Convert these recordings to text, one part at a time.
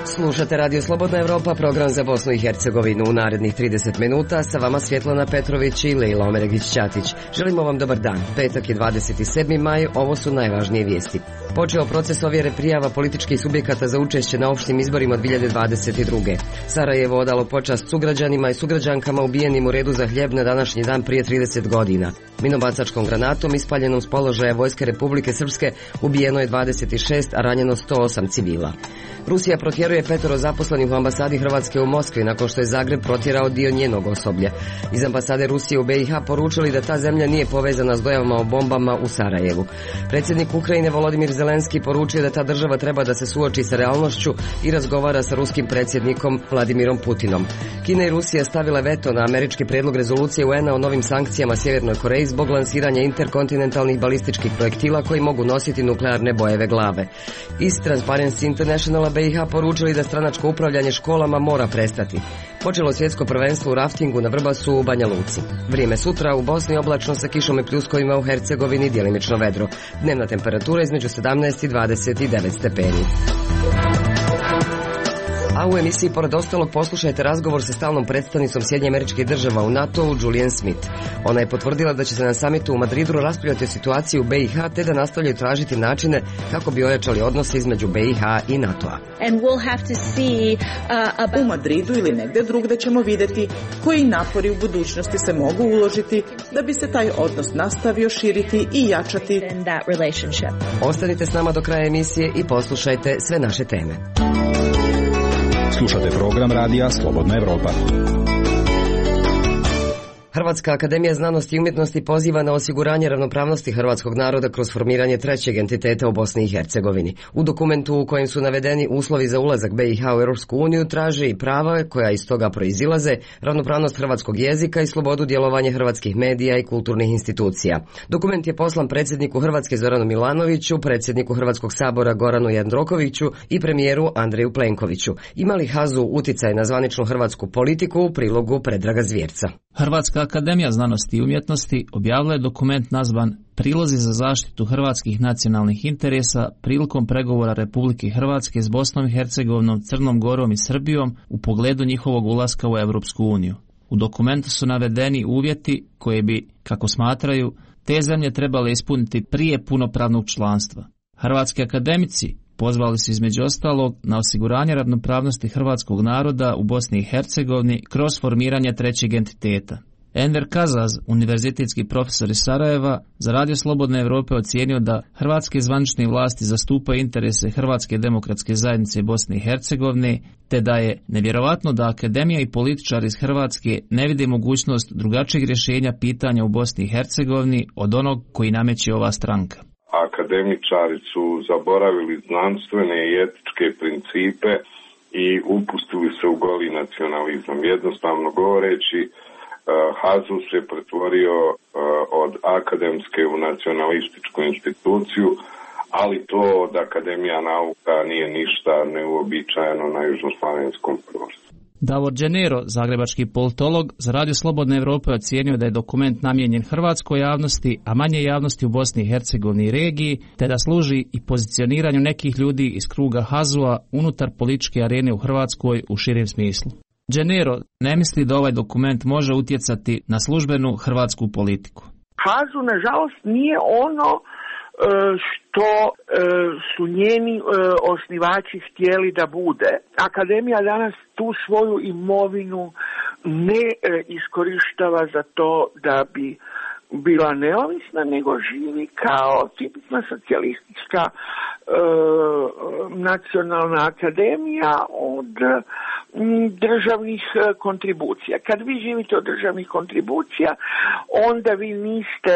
Slušate Radio Slobodna Evropa, program za Bosnu i Hercegovinu. U narednih 30 minuta sa vama Svjetlana Petrović i Lejla Omeregić-Ćatić. Želimo vam dobar dan. Petak je 27. maj, ovo su najvažnije vijesti. Počeo proces ovjere prijava političkih subjekata za učešće na opštim izborima 2022. Sarajevo odalo počast sugrađanima i sugrađankama ubijenim u redu za hljeb na današnji dan prije 30 godina. Minobacačkom granatom ispaljenom s položaja Vojske Republike Srpske ubijeno je 26, a ranjeno 108 civila. Rusija protjeruje 5 zaposlenih u ambasadi Hrvatske u Moskvi nakon što je Zagreb protjerao dio njenog osoblja. Iz ambasade Rusije u BiH poručili da ta zemlja nije povezana s dojavama o bombama u Sarajevu. Predsjednik Ukrajine Volodimir Zelenski poručio da ta država treba da se suoči sa realnošću i razgovara sa ruskim predsjednikom Vladimirom Putinom. Kina i Rusija stavile veto na američki prijedlog rezolucije UN-a o novim sankcijama Sjevernoj Koreji zbog lansiranja interkontinentalnih balističkih projektila koji mogu nositi nuklearne bojeve glave. Iz Transparency Internationala BiH poručili da stranačko upravljanje školama mora prestati. Počelo svjetsko prvenstvo u raftingu na Vrbasu u Banja Luci. Vrijeme sutra u Bosni oblačno sa kišom i pljuskovima, u Hercegovini djelimično vedro. Dnevna temperatura između 17 i 29 stepeni. A u emisiji pored ostalog poslušajte razgovor sa stalnom predstavnicom Sjedinjenih Američkih Država u NATO-u Julian Smith. Ona je potvrdila da će se na samitu u Madridu raspravljati o situaciji u BiH te da nastavljaju tražiti načine kako bi ojačali odnose između BiH i NATO-a. U Madridu ili negdje drugdje ćemo vidjeti koji napori u budućnosti se mogu uložiti da bi se taj odnos nastavio širiti i jačati. Ostanite s nama do kraja emisije i poslušajte sve naše teme. Slušate program radija Slobodna Evropa. Hrvatska akademija znanosti i umjetnosti poziva na osiguranje ravnopravnosti hrvatskog naroda kroz formiranje trećeg entiteta u Bosni i Hercegovini. U dokumentu u kojem su navedeni uslovi za ulazak BiH u Europsku uniju traže i prava koja iz toga proizilaze, ravnopravnost hrvatskog jezika i slobodu djelovanja hrvatskih medija i kulturnih institucija. Dokument je poslan predsjedniku Hrvatske Zoranu Milanoviću, predsjedniku Hrvatskog sabora Goranu Jandrokoviću i premijeru Andreju Plenkoviću. Ima li HAZU utjecaj na zvaničnu hrvatsku politiku u prilogu Predraga Zvjerca? Hrvatska akademija znanosti i umjetnosti objavila je dokument nazvan Prilozi za zaštitu hrvatskih nacionalnih interesa prilikom pregovora Republike Hrvatske s Bosnom i Hercegovinom, Crnom Gorom i Srbijom u pogledu njihovog ulaska u Europsku uniju. U dokumentu su navedeni uvjeti koje bi, kako smatraju, te zemlje trebale ispuniti prije punopravnog članstva. Hrvatski akademici pozvali su između ostalog na osiguranje ravnopravnosti hrvatskog naroda u Bosni i Hercegovini kroz formiranje trećeg entiteta. Enver Kazaz, univerzitetski profesor iz Sarajeva, za Radio Slobodne Evrope ocijenio da hrvatske zvanične vlasti zastupaju interese Hrvatske demokratske zajednice Bosne i Hercegovine, te da je nevjerovatno da akademija i političari iz Hrvatske ne vide mogućnost drugačijeg rješenja pitanja u Bosni i Hercegovini od onog koji nameće ova stranka. Akademičari su zaboravili znanstvene i etičke principe i upustili se u goli nacionalizam. Jednostavno govoreći, HAZU se pretvorio od akademske u nacionalističku instituciju, ali to od Akademija nauka nije ništa neuobičajeno na južnoslavenskom prostoru. Davor Đenero, zagrebački politolog, za Radio Slobodne Evrope ocijenio da je dokument namijenjen hrvatskoj javnosti, a manje javnosti u Bosni i Hercegovini i regiji, te da služi i pozicioniranju nekih ljudi iz kruga HAZU-a unutar političke arene u Hrvatskoj u širem smislu. Đenero ne misli da ovaj dokument može utjecati na službenu hrvatsku politiku. HAZU, nažalost, nije ono što su njeni osnivači htjeli da bude. Akademija danas tu svoju imovinu ne iskorištava za to da bi bila neovisna, nego živi kao tipična socijalistička nacionalna akademija od državnih kontribucija. Kad vi živite od državnih kontribucija, onda vi niste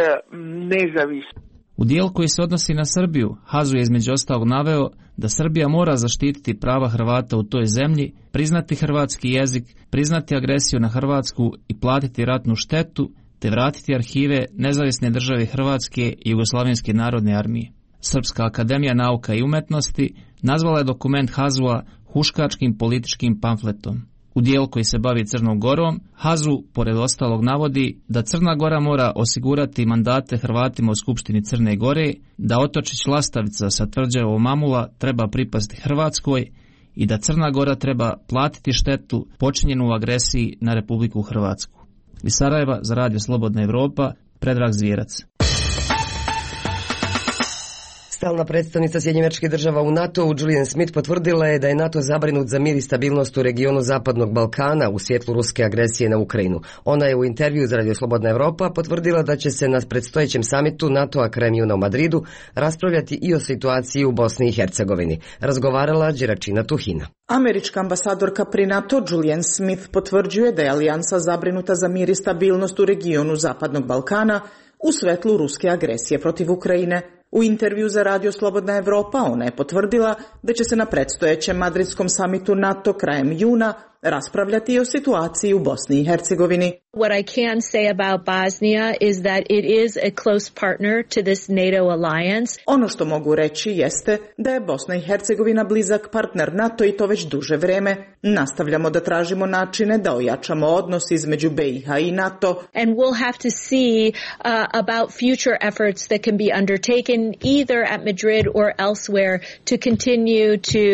nezavisni. U dijelu koji se odnosi na Srbiju, HAZU je između ostalog naveo da Srbija mora zaštititi prava Hrvata u toj zemlji, priznati hrvatski jezik, priznati agresiju na Hrvatsku i platiti ratnu štetu, te vratiti arhive Nezavisne države Hrvatske i Jugoslavenske narodne armije. Srpska akademija nauka i umetnosti nazvala je dokument HAZU-a huškačkim političkim pamfletom. u dijelu koji se bavi Crnom Gorom, Hazu, pored ostalog, navodi da Crna Gora mora osigurati mandate Hrvatima u Skupštini Crne Gore, da otočić Lastavica sa tvrđavom Mamula treba pripasti Hrvatskoj i da Crna Gora treba platiti štetu počinjenu u agresiji na Republiku Hrvatsku. Iz Sarajeva za Radio Slobodna Evropa, Predrag Zvijerac. Stalna predstavnica Sjedinjenih Država u NATO-u Julian Smith potvrdila je da je NATO zabrinut za mir i stabilnost u regionu Zapadnog Balkana u svjetlu ruske agresije na Ukrajinu. Ona je u intervju za Radio Slobodna Evropa potvrdila da će se na predstojećem samitu NATO-a krajem juna u Madridu raspravljati i o situaciji u Bosni i Hercegovini. Razgovarala Đeračina Tuhina. Američka ambasadorka pri NATO Julian Smith potvrđuje da je alijansa zabrinuta za mir i stabilnost u regionu Zapadnog Balkana u svetlu ruske agresije protiv Ukrajine. U intervju za Radio Slobodna Evropa ona je potvrdila da će se na predstojećem madridskom samitu NATO krajem juna raspravljati o situaciji u Bosni i Hercegovini. What I can say about Bosnia is that it is a close partner to this NATO alliance. Ono što mogu reći jeste da je Bosna i Hercegovina blizak partner NATO i to već duže vreme. Nastavljamo da tražimo načine da ojačamo odnos između BiH i NATO. And we'll have to see about future efforts that can be undertaken either at Madrid or elsewhere to continue to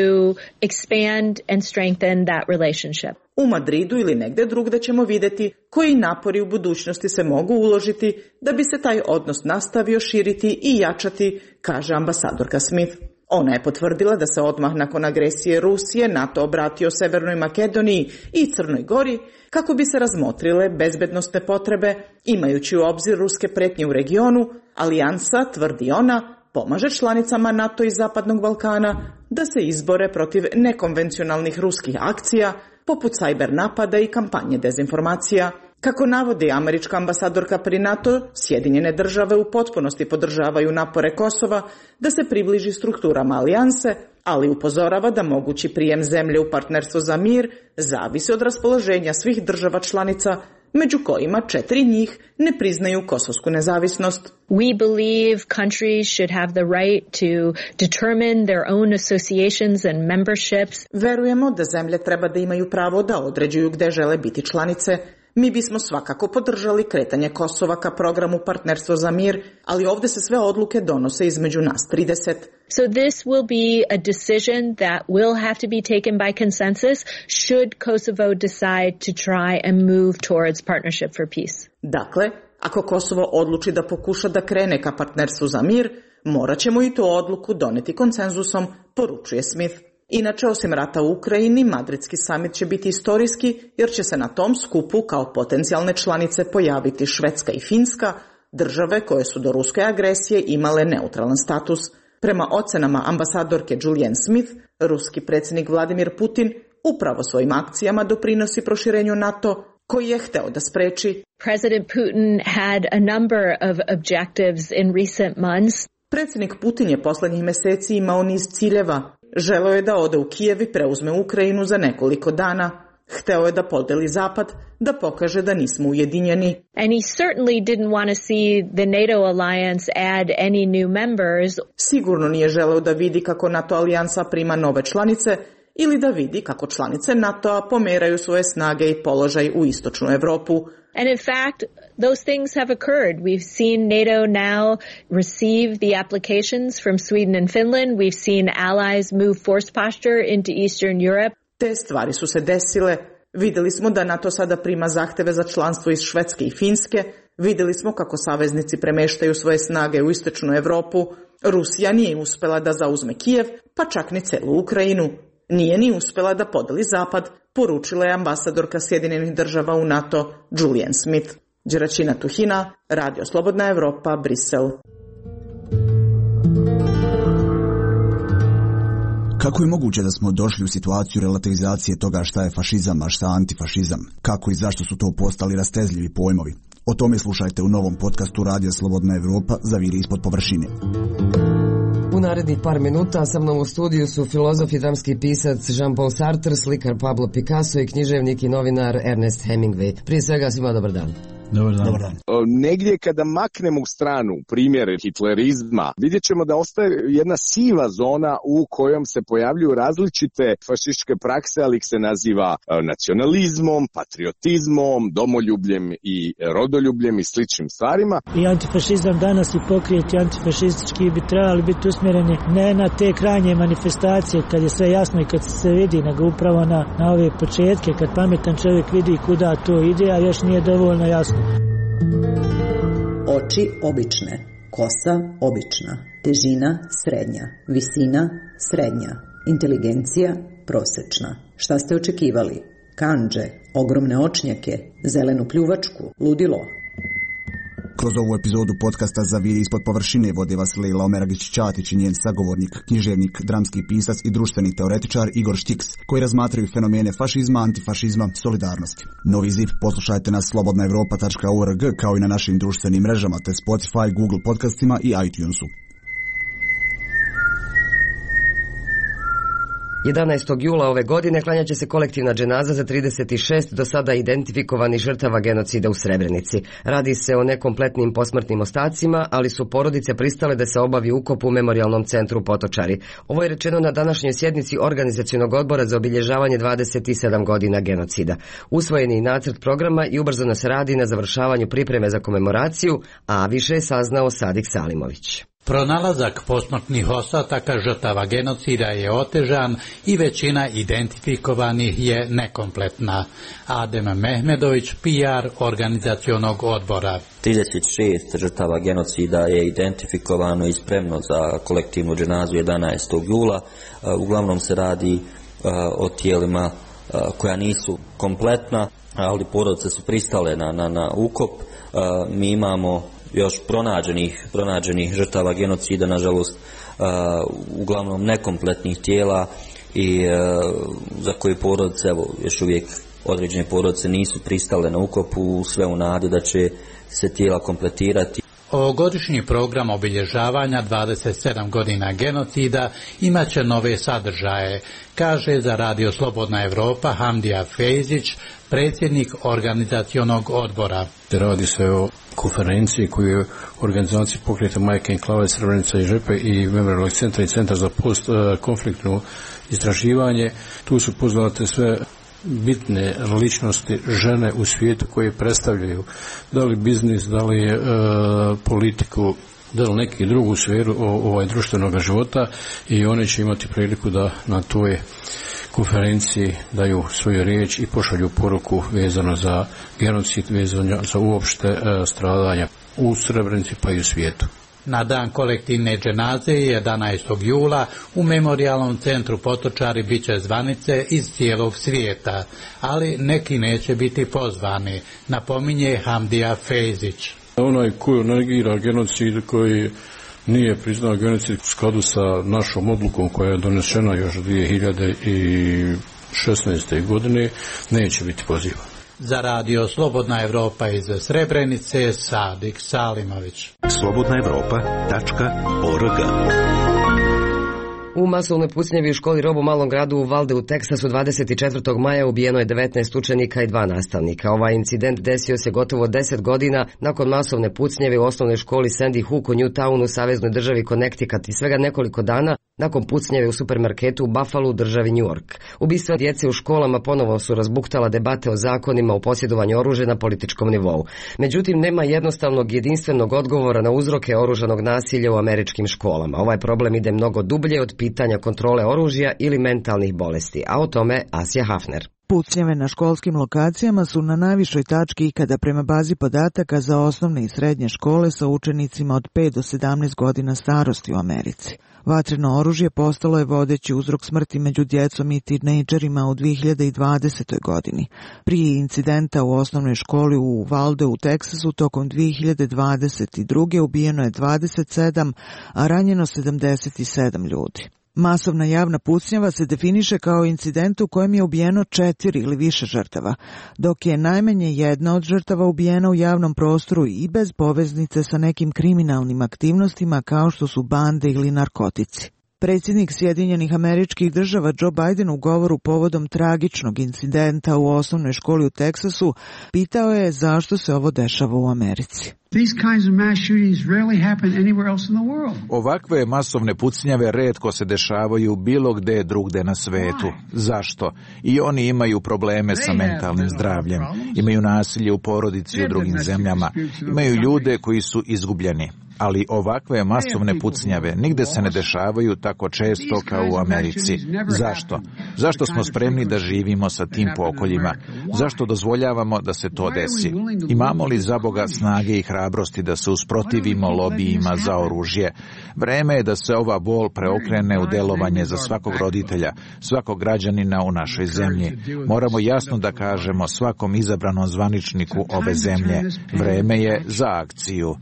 expand and strengthen that relationship. U Madridu ili negde drugde ćemo vidjeti koji napori u budućnosti se mogu uložiti da bi se taj odnos nastavio širiti i jačati, kaže ambasadorka Smith. Ona je potvrdila da se odmah nakon agresije Rusije NATO obratio Severnoj Makedoniji i Crnoj Gori kako bi se razmotrile bezbednosne potrebe, imajući u obzir ruske pretnje u regionu. Alijansa, tvrdi ona, pomaže članicama NATO i Zapadnog Balkana da se izbore protiv nekonvencionalnih ruskih akcija, poput cyber napada i kampanje dezinformacija. Kako navodi američka ambasadorka pri NATO, Sjedinjene Države u potpunosti podržavaju napore Kosova da se približi strukturama alijanse, ali upozorava da mogući prijem zemlje u partnerstvo za mir zavisi od raspoloženja svih država članica, među kojima 4 njih ne priznaju kosovsku nezavisnost. We believe countries should have the right to determine their own associations and memberships. Verujemo da zemlje treba da imaju pravo da određuju gde žele biti članice. Mi bismo svakako podržali kretanje Kosova ka programu Partnerstvo za mir, ali ovdje se sve odluke donose između nas 30. So this will be a decision that will have to be taken by consensus should Kosovo decide to try and move towards Partnership for Peace. Dakle, ako Kosovo odluči da pokuša da krene ka Partnerstvu za mir, morat ćemo i tu odluku doneti konsenzusom, poručuje Smith. Inače, osim rata u Ukrajini, madridski samit će biti istorijski jer će se na tom skupu kao potencijalne članice pojaviti Švedska i Finska, države koje su do ruske agresije imale neutralan status. Prema ocenama ambasadorke Julian Smith, ruski predsjednik Vladimir Putin upravo svojim akcijama doprinosi proširenju NATO, koji je hteo da spreči. President Putin had a number of objectives in recent months. Predsjednik Putin je posljednjih mjeseci imao niz ciljeva. Želeo je da ode u Kijev i preuzme Ukrajinu za nekoliko dana. Hteo je da podeli Zapad, da pokaže da nismo ujedinjeni. And he certainly didn't want to see the NATO alliance add any new members. Sigurno nije želeo da vidi kako NATO alijansa prima nove članice ili da vidi kako članice NATO-a pomeraju svoje snage i položaj u istočnu Europu. And in fact, those things have occurred. We've seen NATO now receive the applications from Sweden and Finland. We've seen allies move force posture into Eastern Europe. Te stvari su se desile. Vidjeli smo da NATO sada prima zahteve za članstvo iz Švedske i Finske. Vidjeli smo kako saveznici premeštaju svoje snage u istočnu Europu. Rusija nije uspjela da zauzme Kijev, pa čak ni celu Ukrajinu. Nije ni uspjela da podeli Zapad, poručila je ambasadorka Sjedinjenih Država u NATO Julian Smith. Đeračina Tuhina, Radio Slobodna Evropa, Brisel. Kako je moguće da smo došli u situaciju relativizacije toga šta je fašizam, a šta antifašizam? Kako i zašto su to postali rastezljivi pojmovi? O tome slušajte u novom podcastu Radio Slobodna Evropa Zaviri ispod površine. U narednih par minuta sa mnom u studiju su filozof i dramski pisac Jean-Paul Sartre, slikar Pablo Picasso i književnik i novinar Ernest Hemingway. Prije svega svima dobar dan. Dobar dan. Dobar dan. Negdje kada maknemo u stranu primjer hitlerizma, vidjet ćemo da ostaje jedna siva zona u kojom se pojavljuju različite fašističke prakse, ali ih se naziva nacionalizmom, patriotizmom, domoljubljem i rodoljubljem i sličnim stvarima. I antifašizam danas i pokrijeti antifašistički bi trebali biti usmjereni ne na te krajnje manifestacije kad je sve jasno i kad se vidi, nego upravo na ove početke, kad pametan čovjek vidi kuda to ide, a još nije dovoljno jasno. Oči obične, kosa obična, težina srednja, visina srednja, inteligencija prosječna. Šta ste očekivali? Kandže, ogromne očnjake, zelenu pljuvačku, ludilo. Kroz ovu epizodu podcasta Za viri ispod površine vode vas Lejla Omeragić-Ćatić i njen sagovornik, književnik, dramski pisac i društveni teoretičar Igor Štiks, koji razmatraju fenomene fašizma, antifašizma, solidarnosti. Novi ziv poslušajte na slobodnaevropa.org kao i na našim društvenim mrežama te Spotify, Google podcastima i iTunesu. 11. jula ove godine klanjat će se kolektivna dženaza za 36 do sada identifikovanih žrtava genocida u Srebrenici. Radi se o nekompletnim posmrtnim ostacima, ali su porodice pristale da se obavi ukop u Memorijalnom centru Potočari. Ovo je rečeno na današnjoj sjednici Organizacionog odbora za obilježavanje 27 godina genocida. Usvojen je nacrt programa i ubrzano se radi na završavanju pripreme za komemoraciju, a više je saznao Sadik Salimović. Pronalazak posmrtnih ostataka žrtava genocida je otežan i većina identifikovanih je nekompletna. Adem Mehmedović, PR Organizacionog odbora. 36 žrtava genocida je identifikovano i spremno za kolektivnu dženazu 11. jula. Uglavnom se radi o tijelima koja nisu kompletna, ali porodice su pristale na ukop. Mi imamo još pronađenih žrtava genocida, nažalost, uglavnom nekompletnih tijela i za koje porodice, još uvijek određene porodice nisu pristale na ukopu, sve u nadi da će se tijela kompletirati. Ovogodišnji program obilježavanja 27 godina genocida imat će nove sadržaje, kaže za Radio Slobodna Evropa Hamdija Fejzić, predsjednik Organizacionog odbora. Radi se o konferenciji koju je organizacija Pokreta Majke Enklave Srebrenica i Žepe i Memorijalnog centra i Centar za postkonfliktno istraživanje. Tu su poznate sve bitne ličnosti žene u svijetu koje predstavljaju da li biznis, da li politiku, da li neki drugu sferu društvenog života i one će imati priliku da na toj konferenciji daju svoju riječ i pošalju poruku vezano za genocid, vezano za uopšte stradanja u Srebrenici pa i u svijetu. Na dan kolektivne dženaze 11. jula u Memorijalnom centru Potočari bit će zvanice iz cijelog svijeta, ali neki neće biti pozvani, napominje Hamdija Fejzić. Onaj koji negira genocid, koji nije priznao genocid u skladu sa našom odlukom koja je donešena još 2016. godine, neće biti pozivan. Za Radio Slobodna Evropa iz Srebrenice, Sadik Salimović. slobodnaevropa.org. U masovnoj pucnjevi u školi Rob u malom gradu u Valde u Teksasu 24. maja ubijeno je 19 učenika i 2 nastavnika. Ovaj incident desio se gotovo 10 godina nakon masovne pucnjeve u osnovnoj školi Sandy Hook u Newtownu u saveznoj državi Connecticut i svega nekoliko dana nakon pucnjeve u supermarketu u Buffalo u državi New York. Ubistva djece u školama ponovo su razbuktala debate o zakonima o posjedovanju oružja na političkom nivou. Međutim, nema jednostavnog jedinstvenog odgovora na uzroke oružanog nasilja u američkim školama. Ovaj problem ide mnogo dublje od pitanja kontrole oružja ili mentalnih bolesti, a o tome Asja Hafner. Pucnjave na školskim lokacijama su na najvišoj tački ikada prema bazi podataka za osnovne i srednje škole sa učenicima od 5 do 17 godina starosti u Americi. Vatreno oružje postalo je vodeći uzrok smrti među djecom i tinejdžerima u 2020. godini. Prije incidenta u osnovnoj školi u Valde u Teksasu tokom 2022. ubijeno je 27, a ranjeno 77 ljudi. Masovna javna pucnjava se definiše kao incident u kojem je ubijeno 4 ili više žrtava, dok je najmanje jedna od žrtava ubijena u javnom prostoru i bez poveznice sa nekim kriminalnim aktivnostima kao što su bande ili narkotici. Predsjednik Sjedinjenih Američkih Država Joe Biden u govoru povodom tragičnog incidenta u osnovnoj školi u Teksasu pitao je zašto se ovo dešava u Americi. Ovakve masovne pucnjave retko se dešavaju bilo gde drugde na svetu. Zašto? I oni imaju probleme sa mentalnim zdravljem. Imaju nasilje u porodici u drugim zemljama. Imaju ljude koji su izgubljeni. Ali ovakve masovne pucnjave nigde se ne dešavaju tako često kao u Americi. Zašto? Zašto smo spremni da živimo sa tim pokoljima? Zašto dozvoljavamo da se to desi? Imamo li za Boga snage i hrabrosti da se usprotivimo lobijima za oružje? Vreme je da se ova bol preokrene u delovanje za svakog roditelja, svakog građanina u našoj zemlji. Moramo jasno da kažemo svakom izabranom zvaničniku ove zemlje. Vreme je za akciju.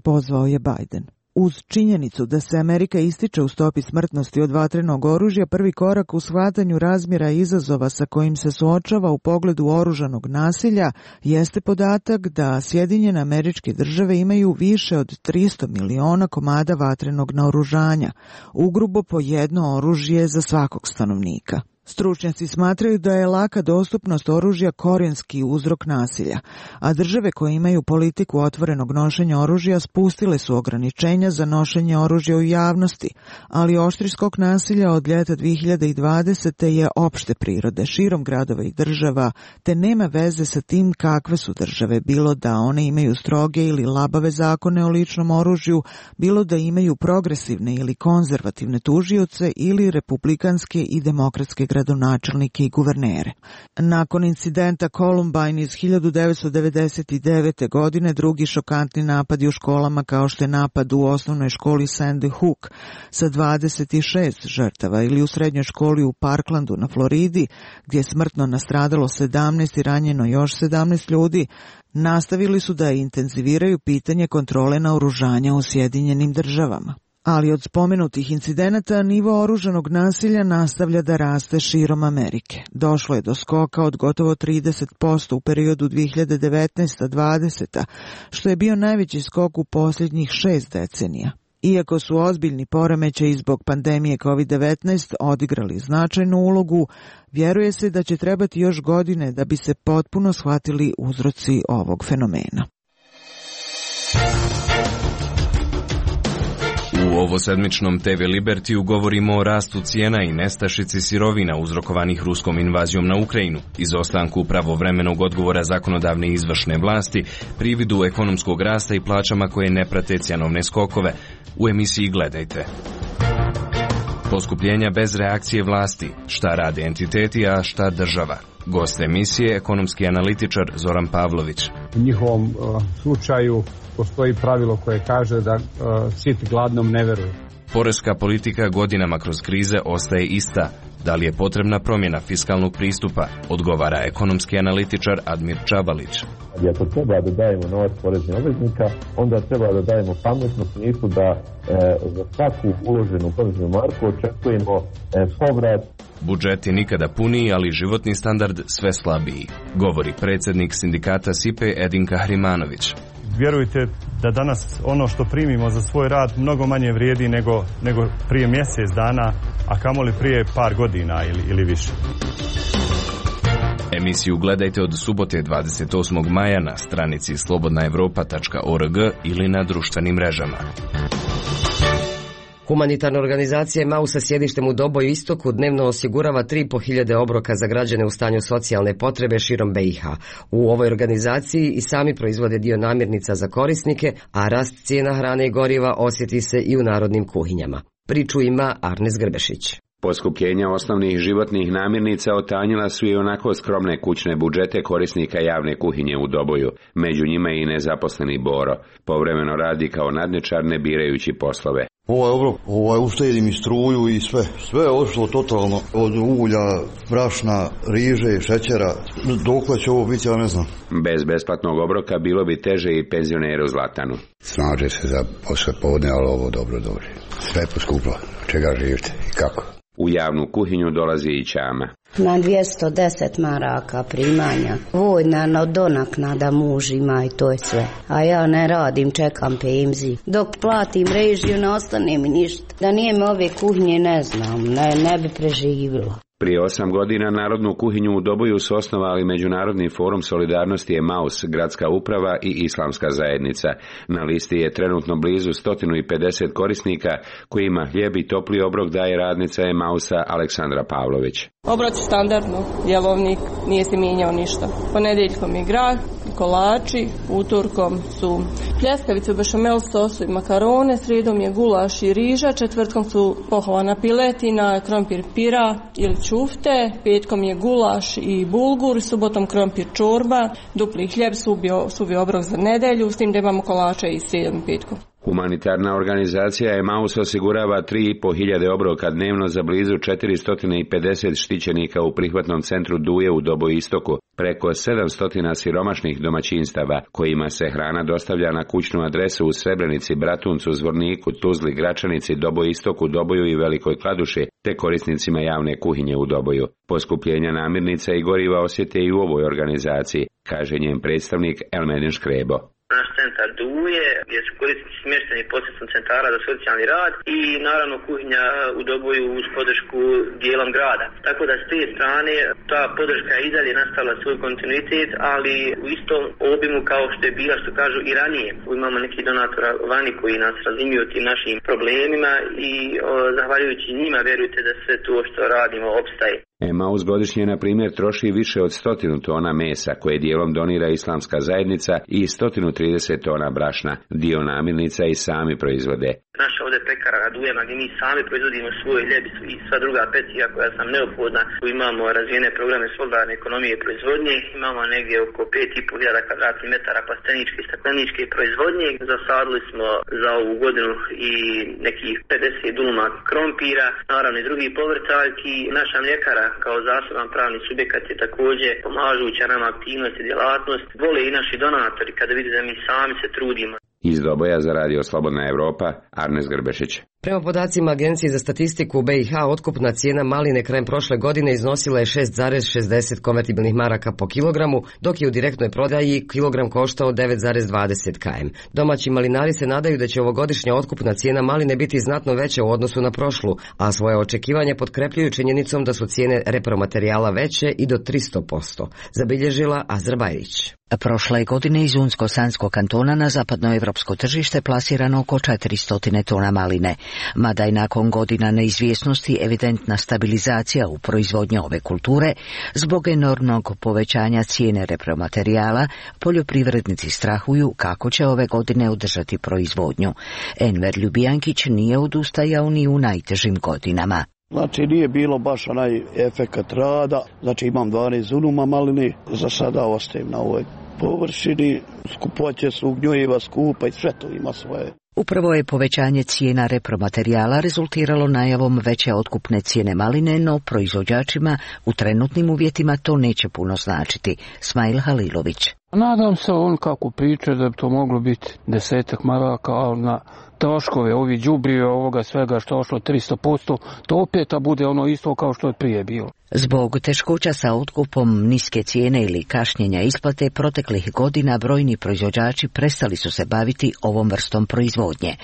Pozvao je Biden. Uz činjenicu da se Amerika ističe u stopi smrtnosti od vatrenog oružja, prvi korak u shvatanju razmjera izazova sa kojim se suočava u pogledu oružanog nasilja jeste podatak da Sjedinjene Američke Države imaju više od 300 miliona komada vatrenog naoružanja, ugrubo po jedno oružje za svakog stanovnika. Stručnjaci smatraju da je laka dostupnost oružja korijenski uzrok nasilja, a države koje imaju politiku otvorenog nošenja oružja spustile su ograničenja za nošenje oružja u javnosti, ali oštri skok nasilja od ljeta 2020. je opšte prirode širom gradova i država, te nema veze sa tim kakve su države, bilo da one imaju stroge ili labave zakone o ličnom oružju, bilo da imaju progresivne ili konzervativne tužioce ili republikanske i demokratske gradonačelnike i guvernere. Nakon incidenta Columbine iz 1999. godine, drugi šokantni napadi u školama kao što je napad u osnovnoj školi Sandy Hook sa 26 žrtava ili u srednjoj školi u Parklandu na Floridi, gdje je smrtno nastradalo 17 i ranjeno još 17 ljudi, nastavili su da intenziviraju pitanje kontrole naoružanja u Sjedinjenim Državama. Ali od spomenutih incidenata nivo oružanog nasilja nastavlja da raste širom Amerike. Došlo je do skoka od gotovo 30% u periodu 2019-2020, što je bio najveći skok u posljednjih 6 decenija. Iako su ozbiljni poremećaji zbog pandemije COVID-19 odigrali značajnu ulogu, vjeruje se da će trebati još godine da bi se potpuno shvatili uzroci ovog fenomena. U ovosedmičnom TV Libertiju govorimo o rastu cijena i nestašici sirovina uzrokovanih ruskom invazijom na Ukrajinu, izostanku pravovremenog odgovora zakonodavne i izvršne vlasti, prividu ekonomskog rasta i plaćama koje ne prate cjenovne skokove. U emisiji Gledajte. Poskupljenja bez reakcije vlasti, šta rade entiteti, a šta država. Gost emisije, ekonomski analitičar Zoran Pavlović. U njihovom slučaju postoji pravilo koje kaže da sit gladnom ne veruje. Poreska politika godinama kroz krize ostaje ista. Da li je potrebna promjena fiskalnog pristupa, odgovara ekonomski analitičar Admir Čabalić. Ako treba da dajemo novac poreznih obveznika, onda treba da dajemo pametnu smislu da za svaku uloženu poreznu marku očekujemo povrat. Budžet je nikada puniji, ali životni standard sve slabiji, govori predsjednik sindikata SIPE Edin Kahrimanović. Vjerujte da danas ono što primimo za svoj rad mnogo manje vrijedi nego prije mjesec dana, a kamoli prije par godina ili više. Emisiju gledajte od subote 28. maja na stranici slobodnaevropa.org ili na društvenim mrežama. Humanitarna organizacija MAU sa sjedištem u Doboju Istoku dnevno osigurava 3.500 obroka za građane u stanju socijalne potrebe širom BiH. U ovoj organizaciji i sami proizvode dio namirnica za korisnike, a rast cijena hrane i goriva osjeti se i u narodnim kuhinjama. Priču ima Arnes Grbešić. Poskupljenja osnovnih životnih namirnica otanjila su i onako skromne kućne budžete korisnika javne kuhinje u Doboju. Među njima i nezaposleni Boro. Povremeno radi kao nadničar ne birajući poslove. Uštedi mi struju i sve je ošlo totalno, od ulja, brašna, riže, šećera, dokle će ovo biti, ja ne znam. Bez besplatnog obroka bilo bi teže i penzioneru Zlatanu. Snaže se za posle podne, ali ovo dobro dođe. Sve je poskuplo, čega živite i kako? U javnu kuhinju dolazi i Ćama. Na 210 maraka primanja. Vojna donaknada muž ima i to je sve. A ja ne radim, čekam penziju. Dok platim režiju ne ostane mi ništa. Da nije me ove kuhinje ne znam, ne bi preživjela. Prije 8 godina Narodnu kuhinju u Doboju su osnovali Međunarodni forum solidarnosti Emaus, gradska uprava i islamska zajednica. Na listi je trenutno blizu 150 korisnika kojima hljeb i topli obrok daje radnica Emausa Aleksandra Pavlović. Obrok standardno, jelovnik, nije se mijenjao ništa. Ponedjeljkom je grah, kolači, utorkom su pljeskavice u bešamel sosu i makarone, srijedom je gulaš i riža, četvrtkom su pohovana piletina, krompir pira ili čufte, petkom je gulaš i bulgur, subotom krompir čorba, dupli hljeb, suvi obrok za nedelju, s tim da imamo kolače i srijedom i petkom. Humanitarna organizacija Emaus osigurava 3.500 obroka dnevno za blizu 450 štićenika u prihvatnom centru Duje u Doboj istoku, preko 700 siromašnih domaćinstava, kojima se hrana dostavlja na kućnu adresu u Srebrenici, Bratuncu, Zvorniku, Tuzli, Gračanici, Doboj istoku, Doboju i Velikoj Kladuši, te korisnicima javne kuhinje u Doboju. Poskupljenja namirnica i goriva osjete i u ovoj organizaciji, kaže njen predstavnik Elmedin Škrebo. Naš centar Duje, gdje su korisnici smješteni posredstvom centara za socijalni rad i naravno kuhinja u Doboju uz podršku dijelom grada. Tako da s te strane ta podrška je i dalje nastavila svoj kontinuitet, ali u istom obimu kao što je bila, što kažu, i ranije. Imamo neki donatora vani koji nas razumiju tim našim problemima i zahvaljujući njima vjerujte da sve to što radimo opstaje. Emaus godišnje, na primjer, troši više od 100 tona mesa, koje dijelom donira islamska zajednica, i 130 tona brašna. Dio namirnica i sami proizvode. Naša ovdje pekara Radujema, gdje mi sami proizvodimo svoj hljeb i sva druga peciva koja sam neophodna. Tu imamo razvijene programe solidarne ekonomije i proizvodnje. Imamo negdje oko 5.500 kvadratnih metara plasteničke i stakleničke proizvodnje. Zasadili smo za ovu godinu i nekih 50 duluma krompira, naravno i drugih povrtaljki. Naša mljekara kao zaseban pravni subjekat je također pomažuća nama aktivnost i djelatnost. Vole i naši donatori kada vide da mi sami se trudimo. Iz Doboja za Radio Slobodna Evropa, Arnes Grbešić. Prema podacima Agencije za statistiku u BiH, otkupna cijena maline krajem prošle godine iznosila je 6,60 konvertibilnih maraka po kilogramu, dok je u direktnoj prodaji kilogram koštao 9,20 km. Domaći malinari se nadaju da će ovogodišnja otkupna cijena maline biti znatno veća u odnosu na prošlu, a svoje očekivanje potkrepljuju činjenicom da su cijene repromaterijala veće i do 300%, zabilježila Azrabajrić. Prošle godine iz Unsko-Sanskog kantona na zapadnoevropsko tržište plasirano oko 400 tona maline. Mada je nakon godina neizvjesnosti evidentna stabilizacija u proizvodnji ove kulture, zbog enormnog povećanja cijene repromaterijala, poljoprivrednici strahuju kako će ove godine održati proizvodnju. Enver Ljubijankić nije odustajao ni u najtežim godinama. Znači nije bilo baš onaj efekat rada, znači imam 12 unuma maline, za sada ostajem na ovoj površini, skupoće su, gnjojiva skupa i sve to ima svoje. Upravo je povećanje cijena repromaterijala rezultiralo najavom veće otkupne cijene maline, no proizvođačima u trenutnim uvjetima to neće puno značiti. Smail Halilović. Nadam se on kako priča da bi to moglo biti 10 maraka, ali na troškove, ovi đubrive, ovoga svega što je ošlo 300%, to opet bude ono isto kao što je prije bilo. Zbog teškoća sa otkupom, niske cijene ili kašnjenja isplate, proteklih godina brojni proizvođači prestali su se baviti ovom vrstom proizvodnje.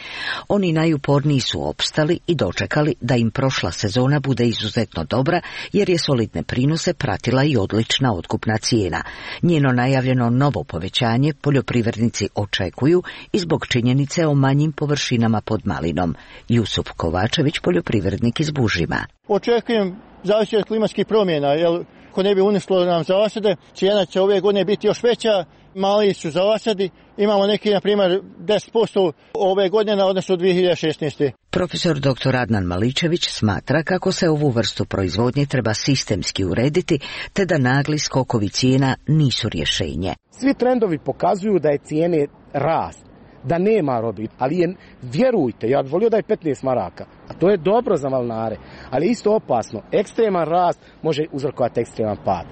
Oni najuporniji su opstali i dočekali da im prošla sezona bude izuzetno dobra, jer je solidne prinose pratila i odlična otkupna cijena. Njeno najavljeno novo povećanje poljoprivrednici očekuju i zbog činjenice o manjim površinama pod malinom. Jusup Kovačević, poljoprivrednik iz Bužima. Očekujem zavisi od klimatskih promjena, jer ako ne bi uništilo nam zasade, cijena će ove godine biti još veća, mali su zasadi, imamo neki, na primjer, 10% ove godine, odnosno 2016. Profesor dr. Adnan Maličević smatra kako se ovu vrstu proizvodnje treba sistemski urediti, te da nagli skokovi cijena nisu rješenje. Svi trendovi pokazuju da je cijene rast, da nema robi, ali je, vjerujte, ja bih volio da je 15 maraka, a to je dobro za malinare, ali isto opasno, ekstreman rast može uzrokovati ekstreman pad.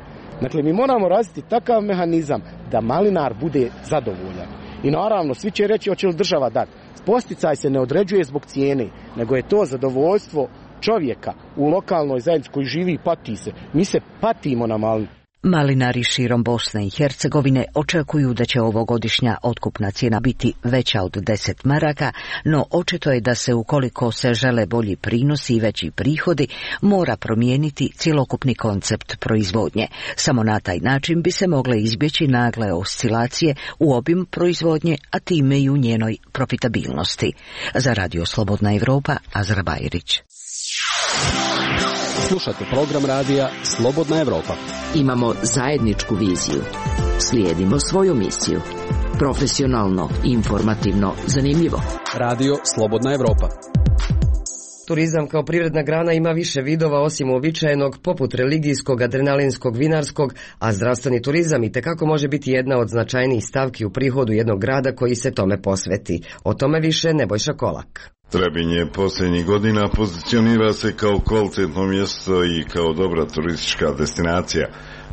Dakle, mi moramo razviti takav mehanizam da malinar bude zadovoljan. I naravno, svi će reći hoće li država dati. Posticaj se ne određuje zbog cijene, nego je to zadovoljstvo čovjeka u lokalnoj zajednici koji živi i pati se. Mi se patimo na malini. Malinari širom Bosne i Hercegovine očekuju da će ovogodišnja otkupna cijena biti veća od 10 maraka, no očito je da se ukoliko se žele bolji prinosi i veći prihodi, mora promijeniti cjelokupni koncept proizvodnje. Samo na taj način bi se mogle izbjeći nagle oscilacije u obimu proizvodnje, a time i u njenoj profitabilnosti. Za Radio Slobodna Evropa, Azra Bajrić. Slušate program radija Slobodna Evropa. Imamo zajedničku viziju. Slijedimo svoju misiju. Profesionalno, informativno, zanimljivo. Radio Slobodna Evropa. Turizam kao privredna grana ima više vidova osim uobičajenog, poput religijskog, adrenalinskog, vinarskog, a zdravstveni turizam itekako može biti jedna od značajnijih stavki u prihodu jednog grada koji se tome posveti. O tome više Nebojša Kolak. Trebinje posljednjih godina pozicionira se kao kvalitetno mjesto i kao dobra turistička destinacija.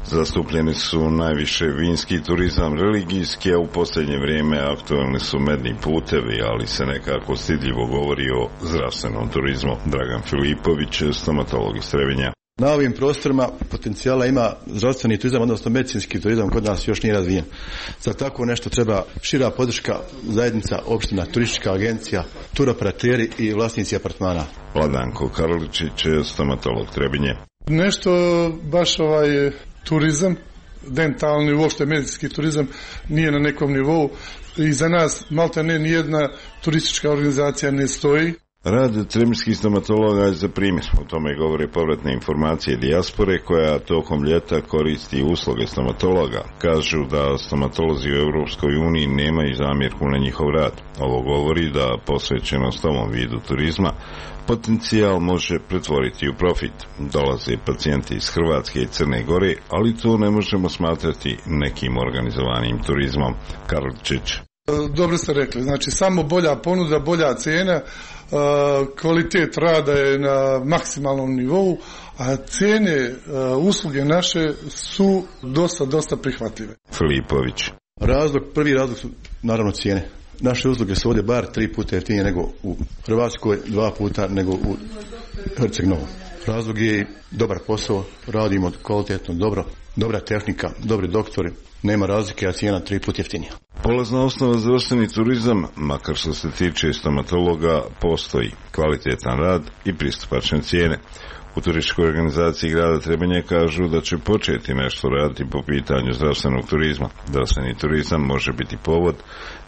Zastupljeni su najviše vinski turizam, religijski, a u posljednje vrijeme aktualni su medni putevi, ali se nekako stidljivo govori o zdravstvenom turizmu. Dragan Filipović, stomatolog iz Trebinja. Na ovim prostorima potencijala ima zdravstveni turizam, odnosno medicinski turizam, kod nas još nije razvijen. Za tako nešto treba šira podrška zajednica, opština, turistička agencija, turoperateri i vlasnici apartmana. Vladanko Karličić, stomatolog Trebinje. Nešto baš turizam, dentalni, uopšte medicinski turizam nije na nekom nivou i za nas malta ne nijedna turistička organizacija ne stoji. Rad trebinskih stomatologa je za primjer. O tome govore povratne informacije dijaspore koja tokom ljeta koristi usluge stomatologa. Kažu da stomatolozi u Europskoj uniji nemaju zamjerku na njihov rad. Ovo govori da posvećenost ovom vidu turizma potencijal može pretvoriti u profit. Dolaze pacijenti iz Hrvatske i Crne Gore, ali to ne možemo smatrati nekim organizovanim turizmom. Karličić. Dobro ste rekli, znači samo bolja ponuda, bolja cijena, kvalitet rada je na maksimalnom nivou, a cijene usluge naše su dosta prihvatljive. Filipović. Prvi razlog su naravno cijene. Naše usluge su ovdje bar 3 puta jeftinije nego u Hrvatskoj, 2 puta nego u Herceg-Novom. Razlog je dobar posao, radimo kvalitetno, dobra tehnika, dobri doktori, nema razlike, a cijena 3 puta jeftinija. Polazna osnova za zdravstveni turizam, makar što se tiče stomatologa, postoji kvalitetan rad i pristupačne cijene. U turističkoj organizaciji grada Trebinje kažu da će početi nešto raditi po pitanju zdravstvenog turizma. Zdravstveni turizam može biti povod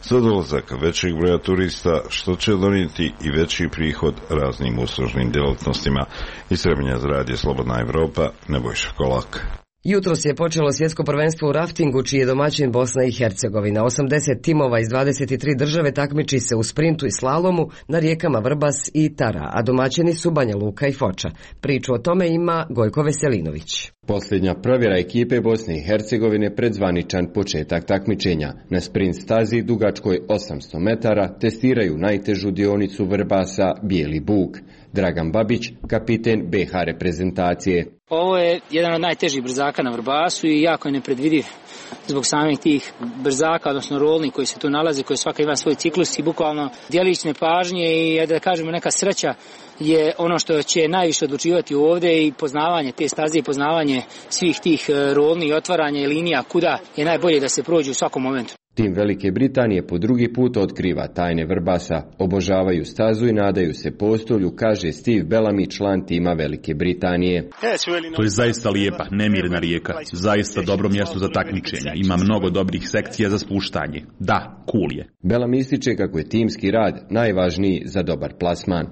za dolazak većeg broja turista, što će donijeti i veći prihod raznim uslužnim djelatnostima. Iz Trebinja za Radio Slobodna Evropa, Nebojša Kolak. Jutros je počelo svjetsko prvenstvo u raftingu, čiji je domaćin Bosna i Hercegovina. 80 timova iz 23 države takmiči se u sprintu i slalomu na rijekama Vrbas i Tara, a domaćini su Banja Luka i Foča. Priču o tome ima Gojko Veselinović. Posljednja provjera ekipe Bosne i Hercegovine pred zvaničan početak takmičenja. Na sprint stazi dugačkoj 800 metara testiraju najtežu dionicu Vrbasa Bijeli Buk. Dragan Babić, kapiten BH reprezentacije. Ovo je jedan od najtežih brzaka na Vrbasu i jako je nepredvidiv zbog samih tih brzaka, odnosno rolni koji se tu nalaze, koji svaka ima svoj ciklus i bukvalno djelićne pažnje i da kažemo neka sreća je ono što će najviše odlučivati ovdje i poznavanje te staze i poznavanje svih tih rolni i otvaranja i linija kuda je najbolje da se prođe u svakom momentu. Tim Velike Britanije po drugi put otkriva tajne Vrbasa, obožavaju stazu i nadaju se postolju, kaže Steve Bellamy, član tima Velike Britanije. To je zaista lijepa, nemirna rijeka, zaista dobro mjesto za takmičenja, ima mnogo dobrih sekcija za spuštanje. Da, cool je. Bellamy ističe kako je timski rad najvažniji za dobar plasman.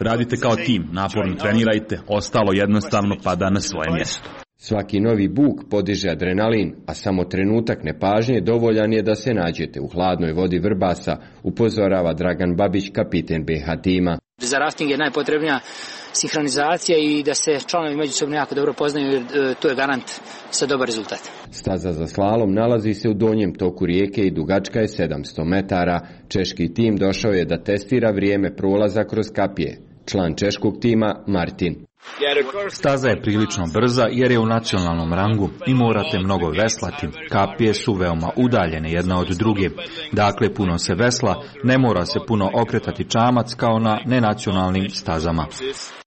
Radite kao tim, naporno trenirajte, ostalo jednostavno pada na svoje mjesto. Svaki novi buk podiže adrenalin, a samo trenutak nepažnje dovoljan je da se nađete u hladnoj vodi Vrbasa, upozorava Dragan Babić, kapiten BH tima. Za rafting je najpotrebnija sinhronizacija i da se članovi međusobno jako dobro poznaju, jer to je garant za dobar rezultat. Staza za slalom nalazi se u donjem toku rijeke i dugačka je 700 metara. Češki tim došao je da testira vrijeme prolaza kroz kapije. Član češkog tima Martin. Staza je prilično brza jer je u nacionalnom rangu i morate mnogo veslati. Kapije su veoma udaljene jedna od druge. Dakle, puno se vesla, ne mora se puno okretati čamac kao na nenacionalnim stazama.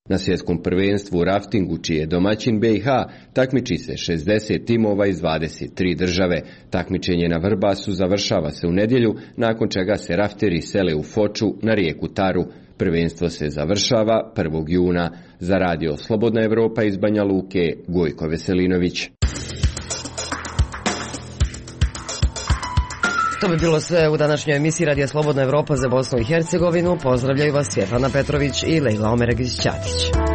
Na svjetskom prvenstvu u raftingu, čiji je domaćin BiH, takmiči se 60 timova iz 23 države. Takmičenje na Vrbasu završava se u nedjelju, nakon čega se rafteri sele u Foču na rijeku Taru. Prvenstvo se završava 1. juna. Za radio Slobodna Evropa iz Banja Luke, Gojko Veselinović. To bi bilo sve u današnjoj emisiji Radija Slobodna Evropa za Bosnu i Hercegovinu. Pozdravljaju vas Svjetlana Petrović i Lejla Omeregić-Ćatić.